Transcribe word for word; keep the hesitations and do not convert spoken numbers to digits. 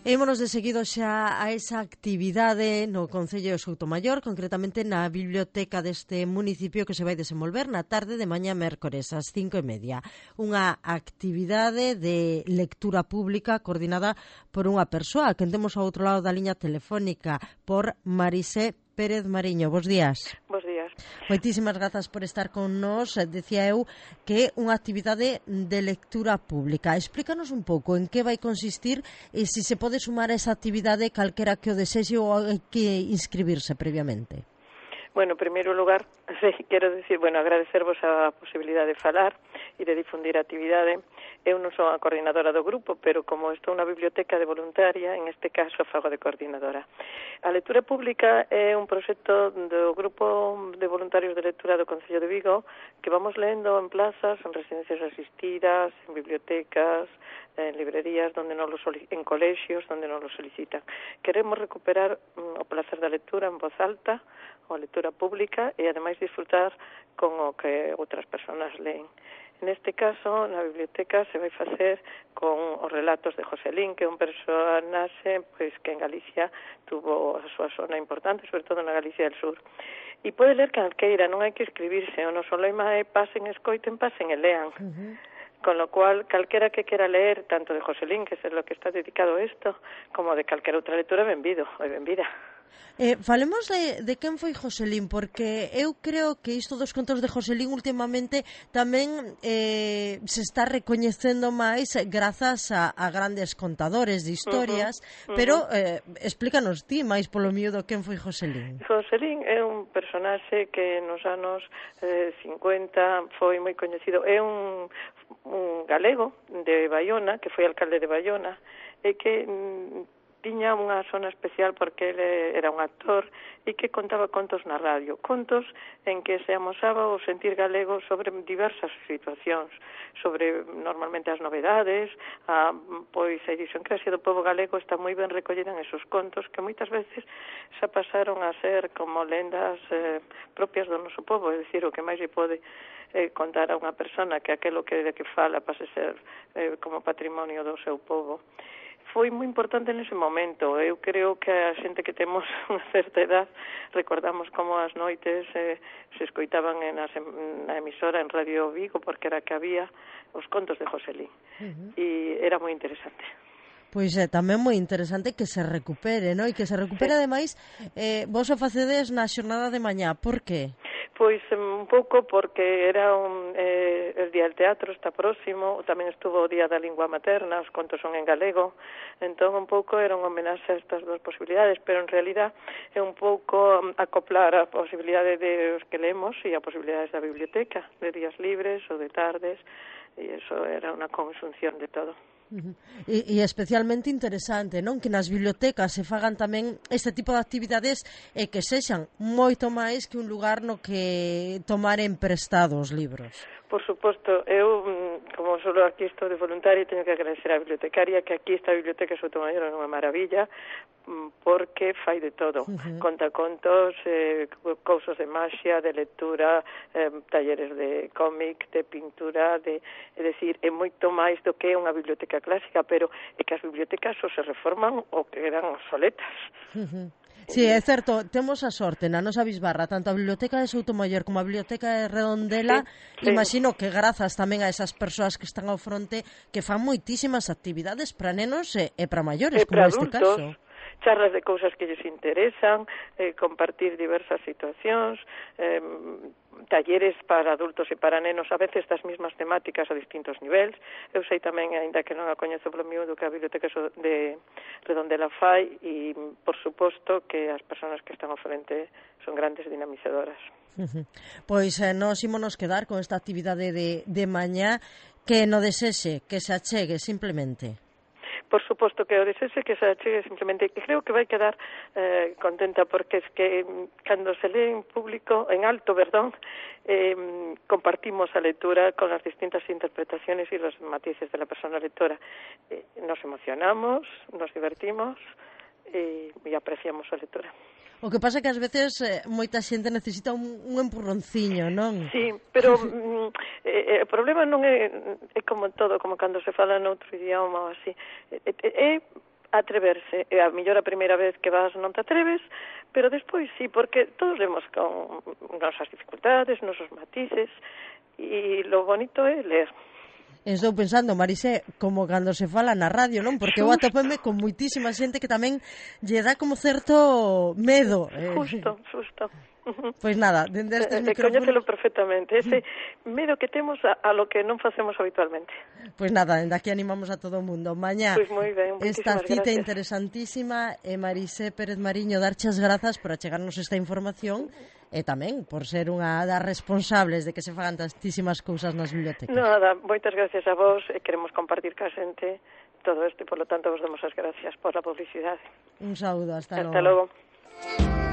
Émonos de seguido xa a esa actividade no Concello de Soutomaior, concretamente na biblioteca deste municipio que se vai desenvolver na tarde de mañá mércores ás cinco e media. Unha actividade de lectura pública coordinada por unha persoa que temos ao outro lado da liña telefónica, por Marisé Pérez Mariño. Bos días. Bos días. Moitísimas grazas por estar con nós. Decía eu que é unha actividade de lectura pública. Explícanos un pouco en que vai consistir e se se pode sumar a esa actividade calquera que o desexe ou hai que inscribirse previamente. Bueno, en primeiro lugar, quero decir, bueno, agradecervos a posibilidade de falar e de difundir a actividade. Eu non sou a coordinadora do grupo, pero como estou na biblioteca de voluntaria, en este caso fago de coordinadora. A lectura pública é un proxecto do grupo de voluntarios de lectura do Concello de Vigo que vamos lendo en plazas, en residencias asistidas, en bibliotecas, en librerías, donde non lo en colexios, donde non lo solicitan. Queremos recuperar mm, o placer da lectura en voz alta, ou a lectura pública, e ademais disfrutar con o que outras persoas leen. Neste caso, na biblioteca se vai facer con os relatos de Joselín, que é un personaxe pois, que en Galicia tuvo a súa zona importante, sobre todo na Galicia del Sur. E pode ler calqueira, non hai que escribirse, o noso lema é pasen, escoiten, pasen e lean. Uh-huh. Con lo cual, calquera que quera leer, tanto de Joselín, que é lo que está dedicado a isto, como de calquera outra lectura, benvido, ou benvida. Eh, falemos de, de quen foi Joselín, porque eu creo que isto dos contos de Joselín últimamente tamén eh, se está recoñecendo máis grazas a, a grandes contadores de historias, uh-huh, uh-huh. Pero eh, explícanos ti máis polo miúdo quen foi Joselín. Joselín é un personaxe que nos anos eh, cincuenta foi moi coñecido, é un, un galego de Baiona, que foi alcalde de Baiona, e que mm, tiña unha zona especial porque ele era un actor e que contaba contos na radio, contos en que se amosaba o sentir galego sobre diversas situacións, sobre normalmente as novedades, a, pois a idiosincrasia do povo galego está moi ben recollida en esos contos que moitas veces xa pasaron a ser como lendas eh, propias do noso povo, é dicir, o que máis lle pode eh, contar a unha persona que aquelo que de que fala pase ser eh, como patrimonio do seu povo. Foi moi importante nese momento. Eu creo que a xente que temos unha certa edad recordamos como as noites eh, se escoitaban en as, na emisora en Radio Vigo, porque era que había os contos de Joselín. Uh-huh. E era moi interesante. Pois é, tamén moi interesante que se recupere, non? E que se recupere, sí. Ademais, eh, vos o facedes na xornada de mañá. Por qué? Pois un pouco porque era un, eh, el Día del Teatro, está próximo, tamén estuvo o Día da Lingua Materna, os contos son en galego, entón un pouco era un homenaxe a estas dúas posibilidades, pero en realidad é un pouco acoplar a posibilidade de os que leemos e a posibilidades da biblioteca, de días libres ou de tardes, e eso era unha conxunción de todo. Uh-huh. E, e especialmente interesante, non? Que nas bibliotecas se fagan tamén este tipo de actividades e que sexan moito máis que un lugar no que tomaren prestados libros. Por suposto, eu, como solo aquí estou de voluntaria, teño que agradecer á bibliotecaria, que aquí esta biblioteca de Soutomaior é unha maravilla, porque fai de todo. Uh-huh. Conta contos, eh, cousas de maxia, de lectura, eh, talleres de cómic, de pintura, de, é dicir, é moito máis do que unha biblioteca clásica, pero é que as bibliotecas ou se reforman ou quedan obsoletas. Uh-huh. Sí, é certo, temos a sorte na nosa bisbarra, tanto a Biblioteca de Soutomaior como a Biblioteca de Redondela, sí, sí. Imagino que grazas tamén a esas persoas que están ao fronte que fan moitísimas actividades para nenos e, e para maiores, e como para este adultos. caso. Charlas de cousas que lles interesan, eh, compartir diversas situacións, eh, talleres para adultos e para nenos, a veces das mismas temáticas a distintos niveis. Eu sei tamén, aínda que non a coñezo polo miúdo, que a Biblioteca de Redondela fai e, por suposto, que as persoas que están ao frente son grandes dinamizadoras. Uh-huh. Pois eh, nos ímonos quedar con esta actividade de, de mañá, que no desexe, que se achegue simplemente. Por suposto que o desese que se achegue simplemente, que creo que vai quedar eh, contenta porque es que cando se lee en público, en alto, perdón, eh, compartimos a lectura con las distintas interpretaciones y los matices de la persona lectora. Eh, nos emocionamos, nos divertimos e, e apreciamos a lectura. O que pasa é que ás veces eh, moita xente necesita un, un empurronciño, non? Sí, pero mm, eh, o problema non é, é como todo, como cando se fala noutro idioma ou así. É, é atreverse. E a mellor a primeira vez que vas non te atreves, pero despois sí, porque todos vemos con nosas dificultades, nosos matices, e lo bonito é ler. Estou pensando, Marisé, como cando se fala na radio, non? Porque eu atopeme con moitísima xente que tamén lle dá como certo medo. Justo, justo. Pois nada, dende estes eh, micrófonos... Coñécelo perfectamente, ese medo que temos a, a lo que non facemos habitualmente. Pois nada, dende aquí animamos a todo o mundo. Mañá, pois moi ben, esta cita gracias. Interesantísima, e Marisé Pérez Mariño, darchas grazas por achegarnos esta información e tamén por ser unha das responsables de que se fagan tantísimas cousas nas bibliotecas. Nada, moitas gracias a vos, e queremos compartir ca xente todo isto, e, por lo tanto, vos damos as gracias por a publicidade. Un saúdo, hasta, hasta logo. Hasta logo.